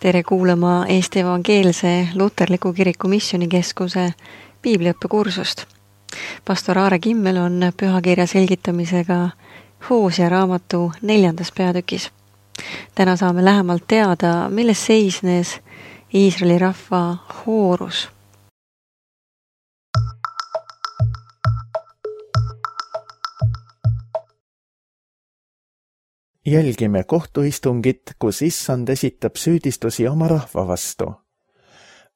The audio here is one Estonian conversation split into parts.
Tere kuulama Eesti Evangeelse Luterliku Kiriku Missioonikeskuse piibliõppekursust. Pastor Aare Kimmel on pühakirja selgitamisega Hosea raamatu 4. peatükis. Täna saame lähemalt teada, milles seisnes Iisraeli rahva hoorus. Jälgime kohtuistungit, kus Issand esitab süüdistusi oma rahva vastu.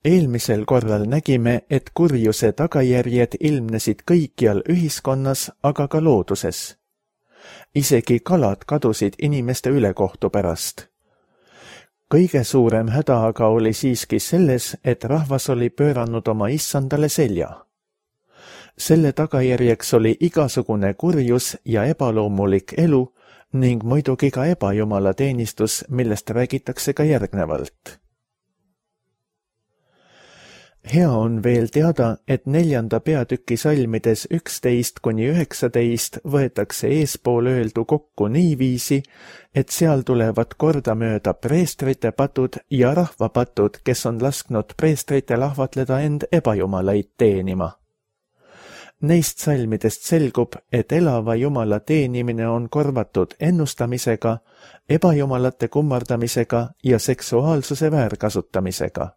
Eelmisel korral nägime, et kurjuse tagajärjed ilmnesid kõikjal ühiskonnas, aga ka looduses. Isegi kalad kadusid inimeste ülekohtu pärast. Kõige suurem häda aga oli siiski selles, et rahvas oli pööranud oma Issandale selja. Selle tagajärjeks oli igasugune kurjus ja ebaloomulik elu, ning muidugi ka ebajumala teenistus, millest räägitakse ka järgnevalt. Hea on veel teada, et 4. peatüki salmides 11–19 võetakse eespool öeldu kokku niiviisi, et seal tulevad kordamööda preestrite patud ja rahva patud, kes on lasknud preestritel ahvatleda end ebajumalaid teenima. Neist salmidest selgub, et elava Jumala teenimine on korvatud ennustamisega, ebajumalate kummardamisega ja seksuaalsuse väärkasutamisega.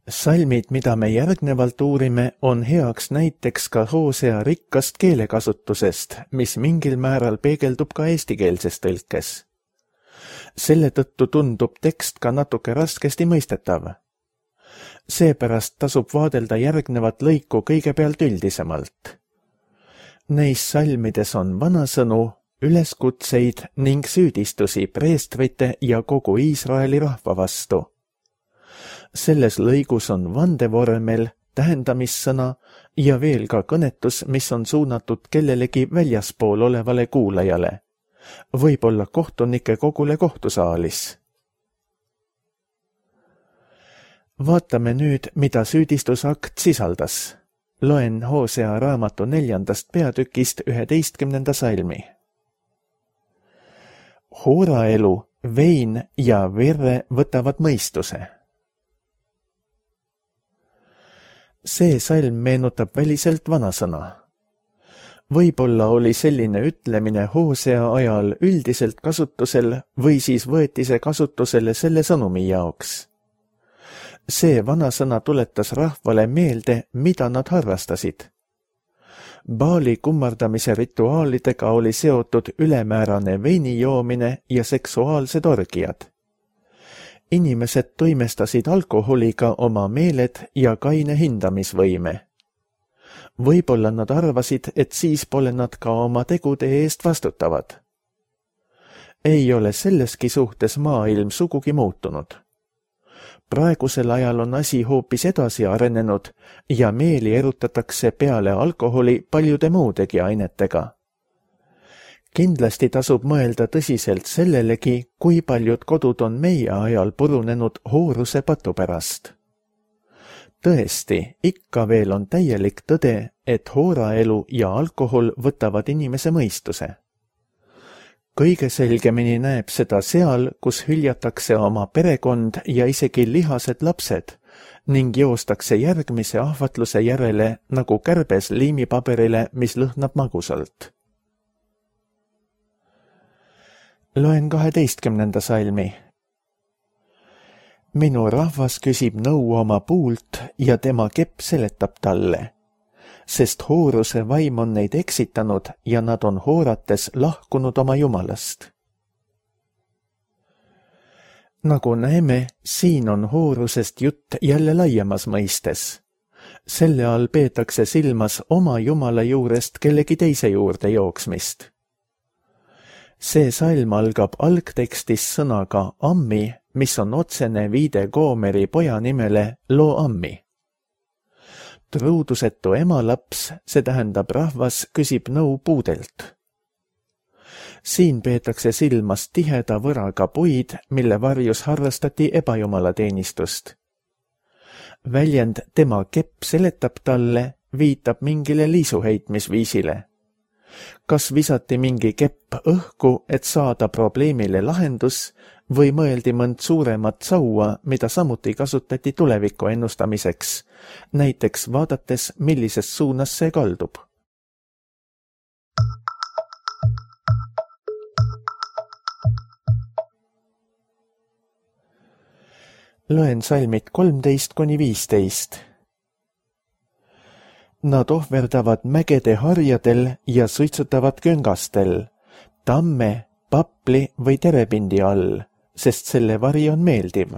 Salmid, mida me järgnevalt uurime, on heaks näiteks ka Hosea rikkast keelekasutusest, mis mingil määral peegeldub ka eestikeelses tõlkes. Selle tõttu tundub tekst ka natuke raskesti mõistetav. Seepärast tasub vaadelda järgnevat lõiku kõigepealt üldisemalt. Neis salmides on vanasõnu, üleskutseid ning süüdistusi preestrite ja kogu Iisraeli rahva vastu. Selles lõigus on vandevormel, tähendamissõna ja veel ka kõnetus, mis on suunatud kellelegi väljaspool olevale kuulajale, võib-olla kohtunike kogule kohtusaalis. Vaatame nüüd, mida süüdistusakt sisaldas. Loen Hosea raamatu 4. peatükist 11. salmi. Hooraelu, vein ja verre võtavad mõistuse. See salm meenutab väliselt vanasõna. Võib-olla oli selline ütlemine Hosea ajal üldiselt kasutusel või siis võeti see kasutusele selle sõnumi jaoks. See vanasõna tuletas rahvale meelde, mida nad harrastasid. Baali kummardamise rituaalidega oli seotud ülemäärane veini joomine ja seksuaalsed orgiad. Inimesed toimestasid alkoholiga oma meeled ja kaine hindamisvõime. Võib-olla nad arvasid, et siis pole nad ka oma tegude eest vastutavad. Ei ole selleski suhtes maailm sugugi muutunud. Praegusel ajal on asi hoopis edasi arenenud ja meeli erutatakse peale alkoholi paljude muudegi ainetega. Kindlasti tasub mõelda tõsiselt sellelegi, kui paljud kodud on meie ajal purunenud hooruse patu pärast. Tõesti, ikka veel on täielik tõde, et hooraelu ja alkohol võtavad inimese mõistuse. Kõige selgemini näeb seda seal, kus hüljatakse oma perekond ja isegi lihased lapsed ning joostakse järgmise ahvatluse järele nagu kärbes liimipaberile, mis lõhnab magusalt. Loen 12. salmi. Minu rahvas küsib nõu oma puult ja tema kepp seletab talle, sest hooruse vaim on neid eksitanud ja nad on hoorates lahkunud oma Jumalast. Nagu näeme, siin on hoorusest jutt jälle laiemas mõistes. Selle all peetakse silmas oma Jumala juurest kellegi teise juurde jooksmist. See salm algab algtekstis sõnaga ammi, mis on otsene viide Goomeri poja nimele Lo-ammi. Truudusetu emalaps, see tähendab rahvas, küsib nõu puudelt. Siin peetakse silmas tiheda võraga puid, mille varjus harrastati ebajumala teenistust. Väljend tema kepp seletab talle viitab mingile liisuheitmisviisile. Kas visati mingi kepp õhku, et saada probleemile lahendus, või mõeldi mõnd suuremat saua, mida samuti kasutati tuleviku ennustamiseks, näiteks vaadates, millises suunas see kaldub. Loen salmid 13–15. Nad ohverdavad mägede harjadel ja suitsutavad küngastel, tamme, papli või terepindi all, sest selle vari on meeldiv.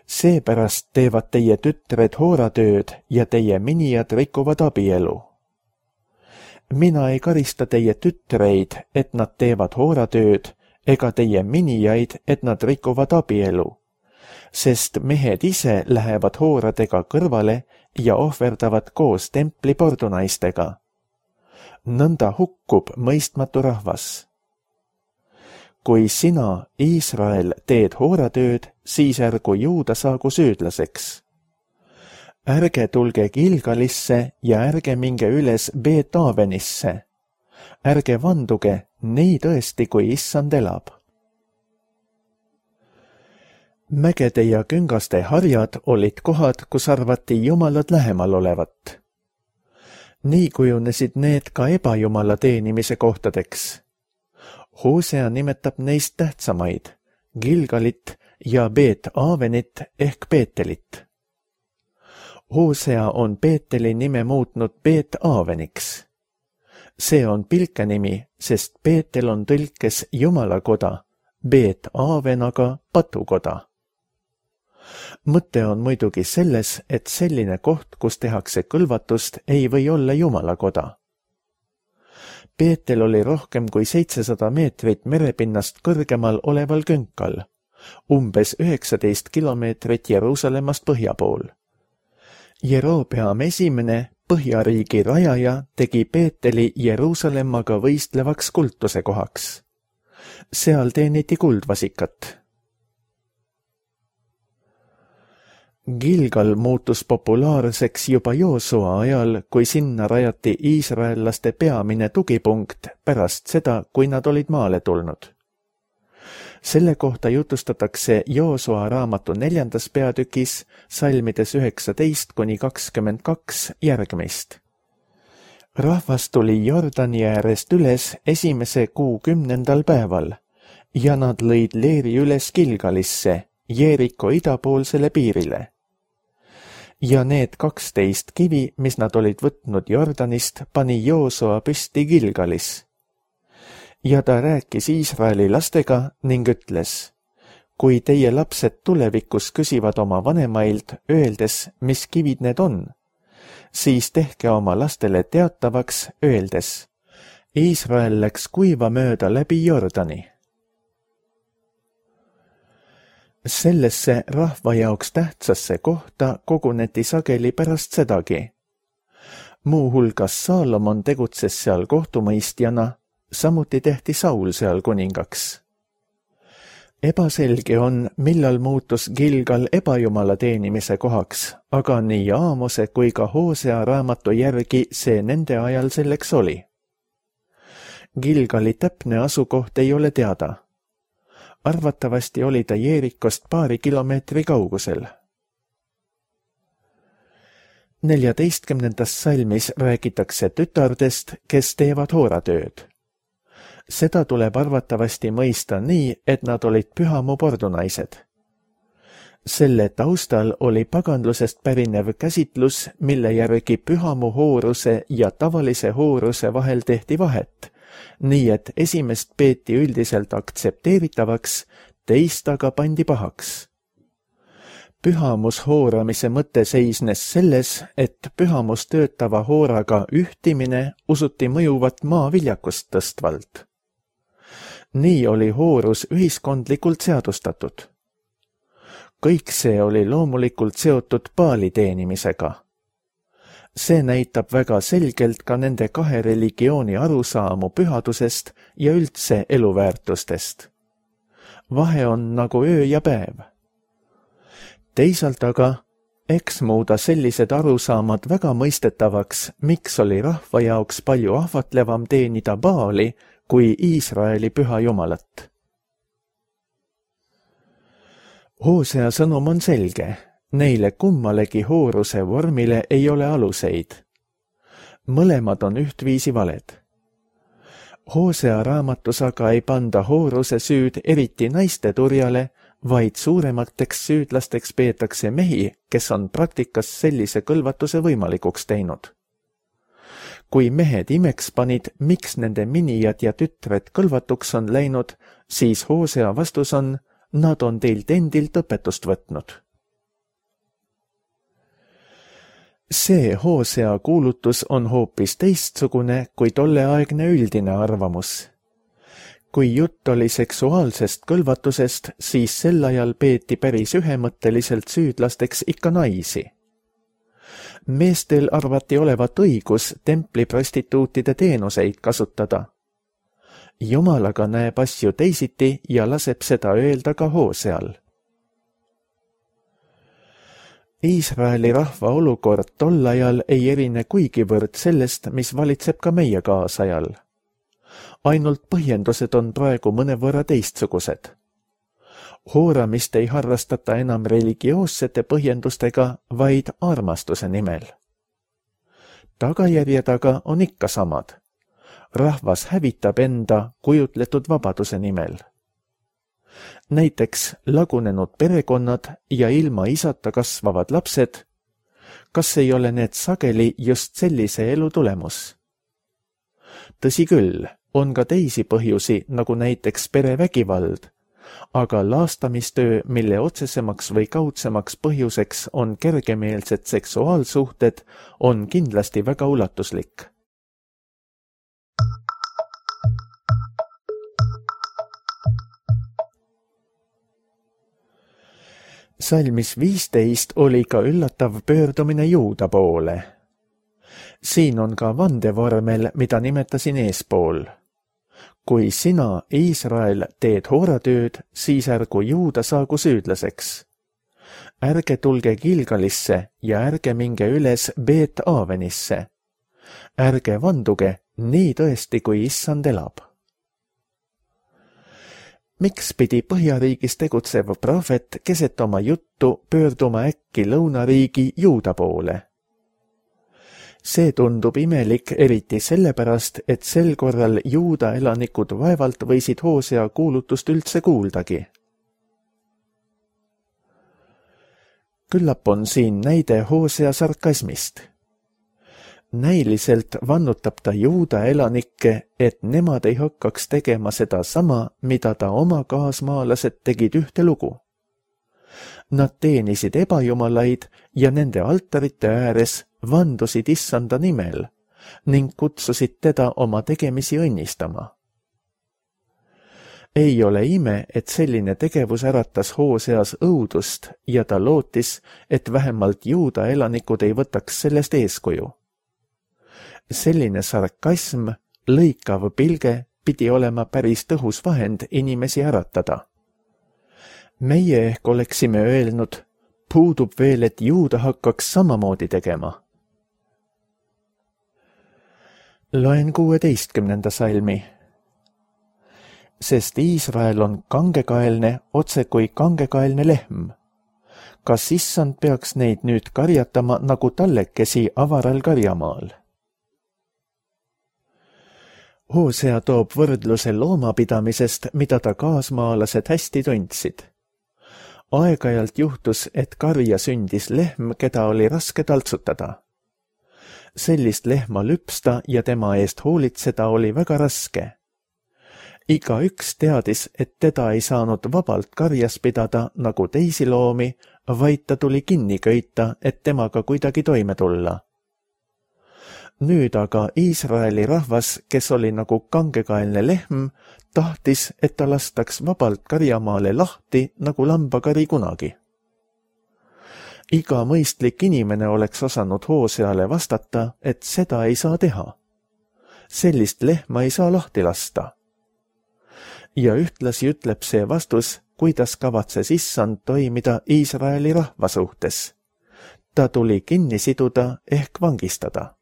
Seepärast teevad teie tütred hooratööd ja teie minijad rikuvad abielu. Mina ei karista teie tütreid, et nad teevad hooratööd, ega teie minijaid, et nad rikuvad abielu, sest mehed ise lähevad hooradega kõrvale ja ohverdavad koos templi pordunaistega. Nõnda hukkub mõistmatu rahvas. Kui sina, Iisrael, teed hooratööd, siis ärgu juuda saagu süüdlaseks. Ärge tulge Gilgalisse ja ärge minge üles Beet-Avenisse. Ärge vanduge, nii tõesti, kui issand elab. Mägede ja küngaste harjad olid kohad, kus arvati jumalad lähemal olevat. Nii kujunesid need ka ebajumala teenimise kohtadeks. Hosea nimetab neist tähtsamaid, Gilgalit ja Beet-Avenit ehk Beetelit. Hosea on Beeteli nime muutnud Beet-Aveniks. See on pilkenimi, sest Beetel on tõlkes jumalakoda, Beet-Aven aga patukoda. Mõte on muidugi selles, et selline koht, kus tehakse kõlvatust, ei või olla jumalakoda. Beetel oli rohkem kui 700 meetrit merepinnast kõrgemal oleval künkal, umbes 19 kilomeetrit Jeruusalemmast põhja pool. Jerobeam esimene, Põhjariigi rajaja, tegi Beeteli Jeruusalemmaga võistlevaks kultuse kohaks. Seal teeniti kuldvasikat. Gilgal muutus populaarseks juba Joosua ajal, kui sinna rajati iisraellaste peamine tugipunkt pärast seda, kui nad olid maale tulnud. Selle kohta jutustatakse Joosua raamatu 4. peatükis salmides 19–22 järgmist. Rahvas tuli Jordani äärest üles esimese kuu 10. päeval ja nad lõid leeri üles Gilgalisse, Jeeriko idapoolsele piirile. Ja need 12 kivi, mis nad olid võtnud Jordanist, pani Joosua püsti Gilgalis. Ja ta rääkis Iisraeli lastega ning ütles, kui teie lapsed tulevikus küsivad oma vanemailt, öeldes, mis kivid need on, siis tehke oma lastele teatavaks, öeldes, Iisrael läks kuiva mööda läbi Jordani. Sellesse rahva jaoks tähtsasse kohta koguneti sageli pärast sedagi. Muuhulgas Saalomon tegutses seal kohtumõistjana, samuti tehti Saul seal kuningaks. Ebaselge on, millal muutus Gilgal ebajumala teenimise kohaks, aga nii Aamose kui ka Hosea raamatu järgi see nende ajal selleks oli. Gilgali täpne asukoht ei ole teada. Arvatavasti oli ta Jeerikost paari kilomeetri kaugusel. 14. salmis räägitakse tütardest, kes teevad hooratööd. Seda tuleb arvatavasti mõista nii, et nad olid pühamu pordunaised. Selle taustal oli paganlusest pärinev käsitlus, mille järgi pühamu hooruse ja tavalise hooruse vahel tehti vahet, nii et esimest peeti üldiselt aktsepteeritavaks, teist aga pandi pahaks. Pühamus hooramise mõte seisnes selles, et pühamus töötava hooraga ühtimine usuti mõjuvat maa viljakust tõstvalt. Nii oli hoorus ühiskondlikult seadustatud. Kõik see oli loomulikult seotud Baali teenimisega. See näitab väga selgelt ka nende kahe religiooni arusaamu pühadusest ja üldse eluväärtustest. Vahe on nagu öö ja päev. Teisalt aga, Eks muuda sellised arusaamad väga mõistetavaks, miks oli rahva jaoks palju ahvatlevam teenida Baali kui Iisraeli püha jumalat. Hoosea sõnum on selge, neile kummalegi hooruse vormile ei ole aluseid. Mõlemad on ühtviisi valed. Hoosea raamatus aga ei panda hooruse süüd eriti naiste turjale, vaid suuremateks süüdlasteks peetakse mehi, kes on praktikas sellise kõlvatuse võimalikuks teinud. Kui mehed imeks panid, miks nende minijad ja tütred kõlvatuks on läinud, siis Hoosea vastus on, nad on teilt endilt õpetust võtnud. See Hoosea kuulutus on hoopis teistsugune kui tolleaegne üldine arvamus. Kui jutt oli seksuaalsest kõlvatusest, siis sel ajal peeti päris ühemõtteliselt süüdlasteks ikka naisi. Meestel arvati olevat õigus templiprostituutide teenuseid kasutada. Jumal aga näeb asju teisiti ja laseb seda öelda ka Hooseal. Iisraeli rahva olukord tol ajal ei erine kuigivõrd sellest, mis valitseb ka meie kaasajal. Ainult põhjendused on praegu mõnevõrra teistsugused. Hooramist ei harrastata enam religioossete põhjendustega, vaid armastuse nimel. Tagajärjed aga on ikka samad. Rahvas hävitab enda kujutletud vabaduse nimel. Näiteks lagunenud perekonnad ja ilma isata kasvavad lapsed, kas ei ole need sageli just sellise elu tulemus? Tõsi küll, on ka teisi põhjusi, nagu näiteks perevägivald, aga laastamistöö, mille otsesemaks või kaudsemaks põhjuseks on kergemeelsed seksuaalsuhted, on kindlasti väga ulatuslik. Salmis 15 oli ka üllatav pöördumine Juuda poole. Siin on ka vandevormel, mida nimetasin eespool. Kui sina, Iisrael, teed hooratööd, siis ärgu Juuda saagu süüdlaseks. Ärge tulge Gilgalisse ja ärge minge üles Beet Aavenisse. Ärge vanduge, nii tõesti, kui issand elab. Miks pidi Põhjariigis tegutsev prohvet keset oma juttu pöörduma äkki lõunariigi Juuda poole? See tundub imelik eriti sellepärast, et sel korral Juuda elanikud vaevalt võisid Hoosea kuulutust üldse kuuldagi. Küllap on siin näide Hoosea sarkasmist. Näiliselt vannutab ta Juuda elanikke, et nemad ei hakkaks tegema seda sama, mida ta oma kaasmaalased tegid ühte lugu. Nad teenisid ebajumalaid ja nende altarite ääres vandusid issanda nimel ning kutsusid teda oma tegemisi õnnistama. Ei ole ime, et selline tegevus äratas Hooseas õudust ja ta lootis, et vähemalt Juuda elanikud ei võtaks sellest eeskuju. Selline sarkasm, lõikav pilge pidi olema päris tõhus vahend inimesi äratada. Meie ehk oleksime öelnud, puudub veel, et Juuda hakkaks samamoodi tegema. Loen 16. salmi. Sest Iisrael on kangekaelne, otse kui kangekaelne lehm. Kas issand peaks neid nüüd karjatama nagu tallekesi avaral karjamaal? Hoosea toob võrdluse loomapidamisest, mida ta kaasmaalased hästi tundsid. Aeg-ajalt juhtus, et karja sündis lehm, keda oli raske taltsutada. Sellist lehma lüpsta ja tema eest hoolitseda oli väga raske. Igaüks teadis, et teda ei saanud vabalt karjas pidada nagu teisi loomi, vaid ta tuli kinni köita, et temaga kuidagi toime tulla. Nüüd aga Iisraeli rahvas, kes oli nagu kangekaelne lehm, tahtis, et ta lastaks vabalt karjamaale lahti nagu lambakari kunagi. Iga mõistlik inimene oleks osanud Hooseale vastata, et seda ei saa teha. Sellist lehma ei saa lahti lasta. Ja ühtlasi ütleb see vastus, kuidas kavatses issand toimida Iisraeli rahva suhtes. ta tuli kinni siduda ehk vangistada.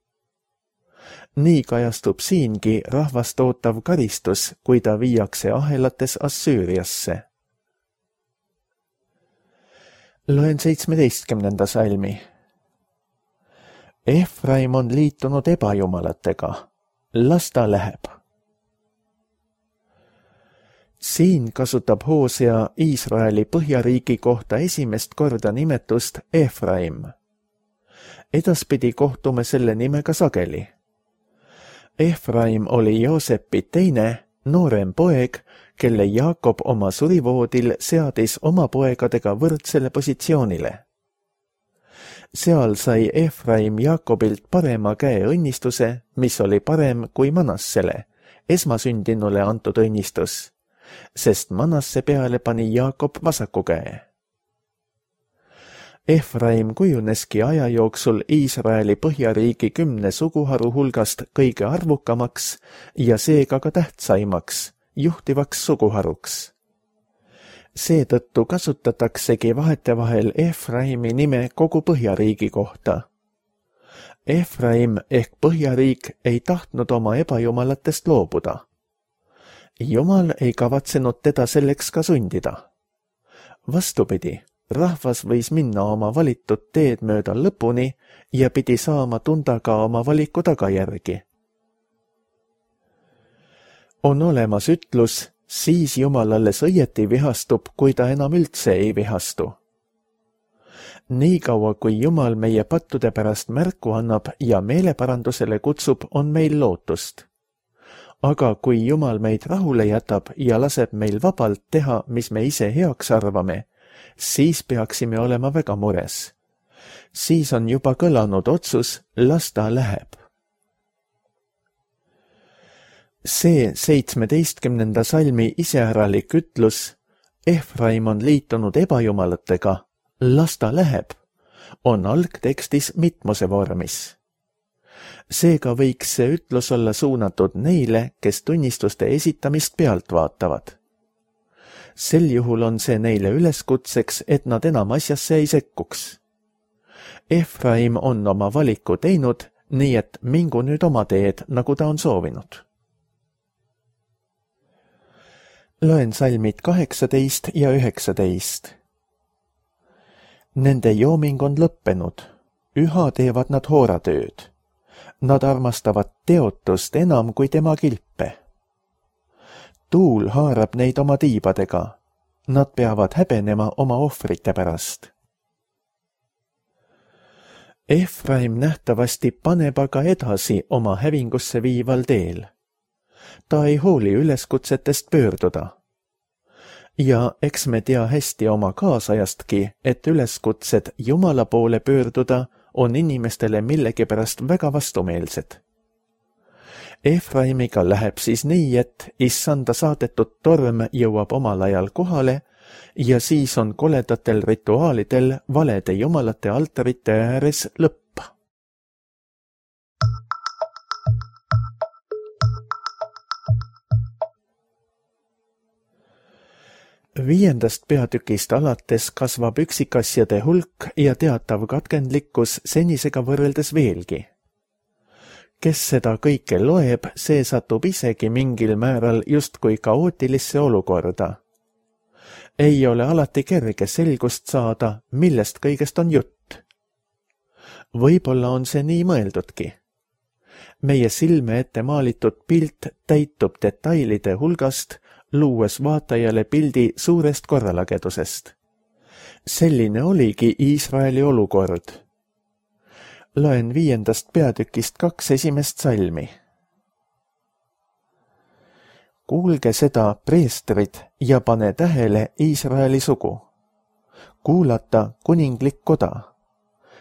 Nii kajastub siingi rahvast ootav karistus, kui ta viiakse ahelates Assüüriasse. Loen 17. salmi. Efraim on liitunud ebajumalatega, las ta läheb. Siin kasutab Hoosea Iisraeli põhjariigi kohta esimest korda nimetust Efraim. Edaspidi kohtume selle nimega sageli. Efraim oli Joosepi teine, noorem poeg, kelle Jaakob oma surivoodil seadis oma poegadega võrdsele positsioonile. Seal sai Efraim Jaakobilt parema käe õnnistuse, mis oli parem kui Manassele, esmasündinule antud õnnistus, sest Manasse peale pani Jaakob vasaku käe. Efraim kujuneski aja jooksul Iisraeli põhjariigi 10 suguharu hulgast kõige arvukamaks ja seega ka tähtsaimaks, juhtivaks suguharuks. Seetõttu kasutataksegi vahetevahel Efraimi nime kogu põhjariigi kohta. Efraim ehk põhjariik ei tahtnud oma ebajumalatest loobuda. Jumal ei kavatsenud teda selleks ka sundida. Vastupidi, rahvas võis minna oma valitud teed mööda lõpuni ja pidi saama tunda ka oma valiku tagajärgi. On olemas ütlus, siis Jumal alles õieti vihastub, kui ta enam üldse ei vihastu. Niikaua, kui Jumal meie pattude pärast märku annab ja meeleparandusele kutsub, on meil lootust. Aga kui Jumal meid rahule jätab ja laseb meil vabalt teha, mis me ise heaks arvame, siis peaksime olema väga mures. Siis on juba kõlanud otsus, las ta läheb. See 17. salmi iseäralik ütlus, Efraim on liitunud ebajumalatega, las ta läheb, on algtekstis mitmuse vormis. Seega võiks see ütlus olla suunatud neile, kes tunnistuste esitamist pealt vaatavad. Sel juhul on see neile üleskutseks, et nad enam asjasse ei sekkuks. Efraim on oma valiku teinud, nii et mingu nüüd oma teed, nagu ta on soovinud. Loen salmid 18 ja 19. Nende jooming on lõppenud, üha teevad nad hooratööd. Nad armastavad teotust enam kui tema kilpe. Tuul haarab neid oma tiibadega. Nad peavad häbenema oma ohvrite pärast. Efraim nähtavasti paneb aga edasi oma hävingusse viival teel. Ta ei hooli üleskutsetest pöörduda. Ja eks me tea hästi oma kaasajastki, et üleskutsed Jumala poole pöörduda on inimestele millegipärast väga vastumeelsed. Efraimiga läheb siis nii, et issanda saadetud torm jõuab omal ajal kohale ja siis on koledatel rituaalidel valede jumalate altarite ääres lõpp. Viiendast peatükist alates kasvab üksikasjade hulk ja teatav katkendlikkus senisega võrreldes veelgi. Kes seda kõike loeb, see satub isegi mingil määral justkui kaootilisse olukorda. Ei ole alati kerge selgust saada, millest kõigest on jutt. Võib-olla on see nii mõeldudki. Meie silme ette maalitud pilt täitub detailide hulgast, luues vaatajale pildi suurest korralagedusest. Selline oligi Iisraeli olukord. Loen 5. peatükist 2 esimest salmi. Kuulge seda, preestrid, ja pane tähele Iisraeli sugu. Kuulata kuninglik koda,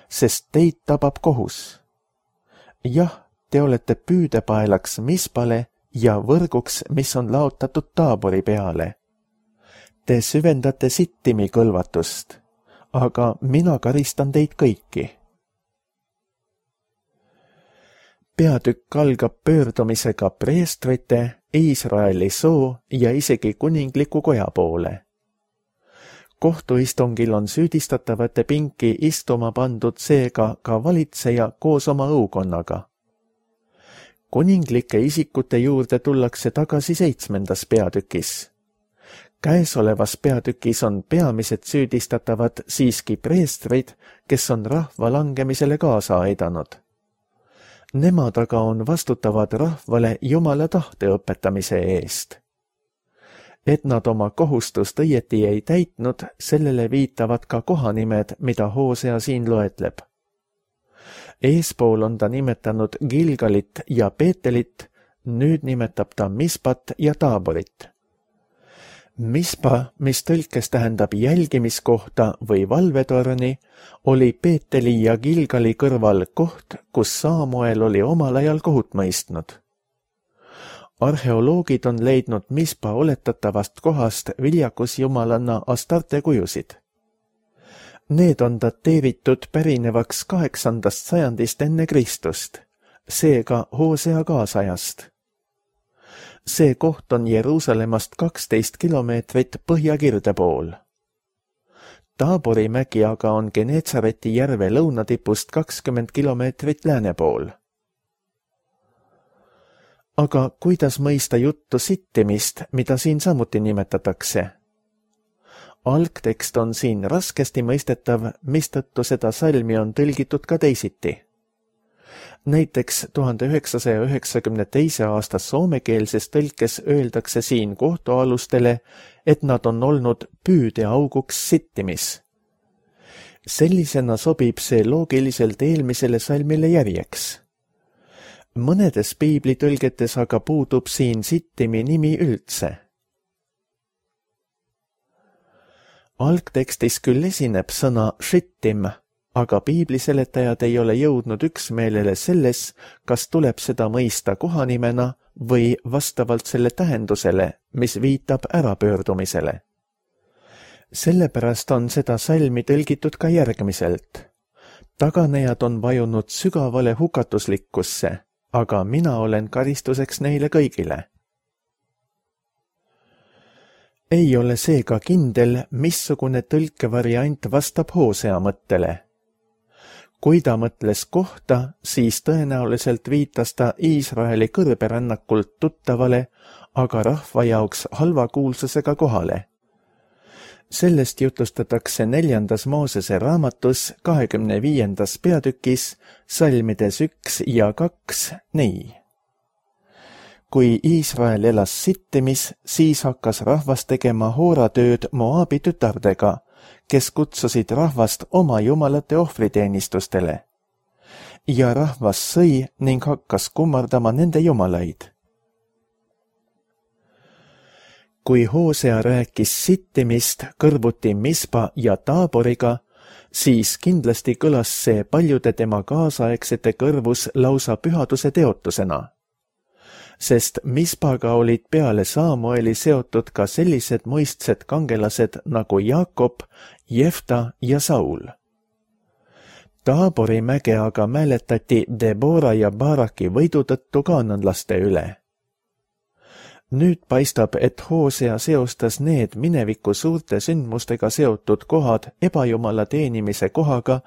sest teid tabab kohus. Jah, te olete püüdepaelaks Mispale ja võrguks, mis on laotatud Taabori peale. Te süvendate Sittimi kõlvatust, aga mina karistan teid kõiki. Peatükk algab pöördumisega preestrite, Iisraeli soo ja isegi kuningliku koja poole. kohtuistungil on süüdistatavate pinki istuma pandud seega ka valitseja koos oma õukonnaga. Kuninglike isikute juurde tullakse tagasi 7. peatükis. Käesolevas peatükis on peamised süüdistatavad siiski preestrid, kes on rahva langemisele kaasa aidanud. Nemad aga on vastutavad rahvale Jumala tahte õpetamise eest. Et nad oma kohustust õieti ei täitnud, sellele viitavad ka kohanimed, mida Hosea siin loetleb. Eespool on ta nimetanud Gilgalit ja Beetelit, nüüd nimetab ta Mispat ja Taaborit. Mispa, mis tõlkes tähendab jälgimiskohta või valvetorni, oli Beeteli ja Gilgali kõrval koht, kus Saamuel oli omal ajal kohut mõistnud. Arheoloogid on leidnud Mispa oletatavast kohast viljakusjumalanna Astarte kujusid. Need on dateeritud pärinevaks 8. sajandist enne Kristust, seega Hosea kaasajast. See koht on Jeruusalemmast 12 kilomeetrit põhjakirde pool. Taabori mägi aga on Genetsareti järve lõunatipust 20 kilomeetrit lääne pool. Aga kuidas mõista juttu sittimist, mida siin samuti nimetatakse? Algtekst on siin raskesti mõistetav, mistõttu seda salmi on tõlgitud ka teisiti. Näiteks 1992. aasta soomekeelses tõlkes öeldakse siin kohtualustele, et nad on olnud püüdeauguks sittimis. Sellisena sobib see loogiliselt eelmisele salmile järjeks. Mõnedes piiblitõlgetes aga puudub siin sittimi nimi üldse. Algtekstis küll esineb sõna shittim, aga piibliseletajad ei ole jõudnud üksmeelele selles, kas tuleb seda mõista kohanimena või vastavalt selle tähendusele, mis viitab ärapöördumisele. Sellepärast on seda salmi tõlgitud ka järgmiselt. Taganejad on vajunud sügavale hukatuslikkusse, aga mina olen karistuseks neile kõigile. Ei ole seega kindel, missugune tõlkevariant vastab Hosea mõttele. Kui ta mõtles kohta, siis tõenäoliselt viitas ta Iisraeli kõrberännakult tuttavale, aga rahva jaoks halva kuulsusega kohale. Sellest jutustatakse 4. Moosese raamatus 25. peatükis salmides 1 ja 2 nii. Kui Iisrael elas sittimis, siis hakkas rahvas tegema hooratööd Moabi tütardega, kes kutsusid rahvast oma jumalate ohvriteenistustele. Ja rahvas sõi ning hakkas kummardama nende jumalaid. Kui Hosea rääkis sittimist kõrvuti Mispa ja Taaboriga, siis kindlasti kõlas see paljude tema kaasaegsete kõrvus lausa pühaduse teotusena. Sest Mispaga olid peale Saamueli seotud ka sellised muistsed kangelased nagu Jaakob, Jefta ja Saul. Taabori mäge aga mäletati Debora ja Baraki võidu tõttu kaananlaste üle. Nüüd paistab, et Hosea seostas need mineviku suurte sündmustega seotud kohad ebajumala teenimise kohaga,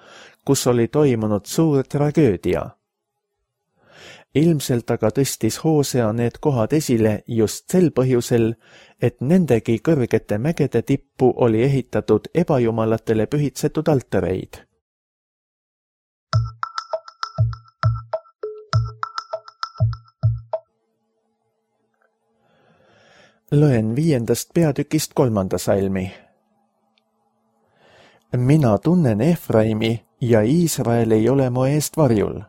kus oli toimunud suur tragöödia. Ilmselt aga tõstis Hosea need kohad esile just sel põhjusel, et nendegi kõrgete mägede tippu oli ehitatud ebajumalatele pühitsetud altareid. Loen 5. peatükist 3. salmi. Mina tunnen Efraimi ja Iisrael ei ole mu eest varjul.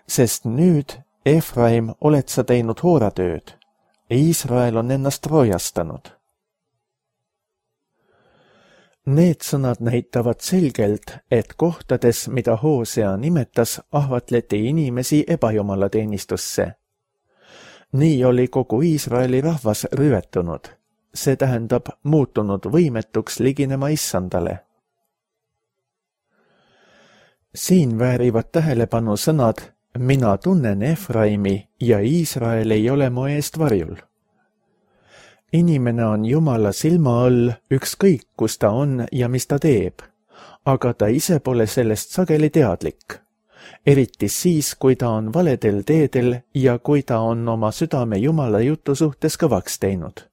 Sest nüüd, Efraim, oled sa teinud hooratööd. Iisrael on ennast roojastanud. Need sõnad näitavad selgelt, et kohtades, mida Hosea nimetas, ahvatleti inimesi ebajumala teenistusse. Nii oli kogu Iisraeli rahvas rüvetunud, see tähendab muutunud võimetuks liginema issandale. Siin väärivad tähelepanu sõnad mina tunnen Efraimi ja Iisrael ei ole mu eest varjul. Inimene on Jumala silma all ükskõik, kus ta on ja mis ta teeb, aga ta ise pole sellest sageli teadlik. Eriti siis, kui ta on valedel teedel ja kui ta on oma südame Jumala jutu suhtes kõvaks teinud.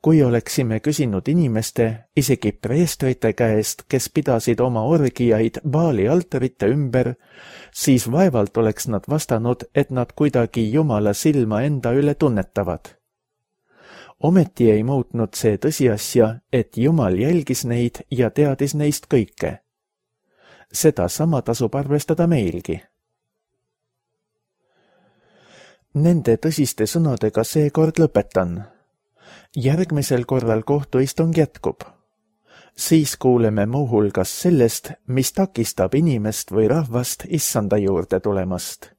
Kui oleksime küsinud inimeste, isegi preestrite käest, kes pidasid oma orgiaid Baali altarite ümber, siis vaevalt oleks nad vastanud, et nad kuidagi Jumala silma enda üle tunnetavad. Ometi ei muutnud see tõsiasja, et Jumal jälgis neid ja teadis neist kõike. Seda sama tasub arvestada meilgi. Nende tõsiste sõnadega seekord lõpetan. Järgmisel korral kohtuistung jätkub. Siis kuuleme muuhulgas sellest, mis takistab inimest või rahvast issanda juurde tulemast.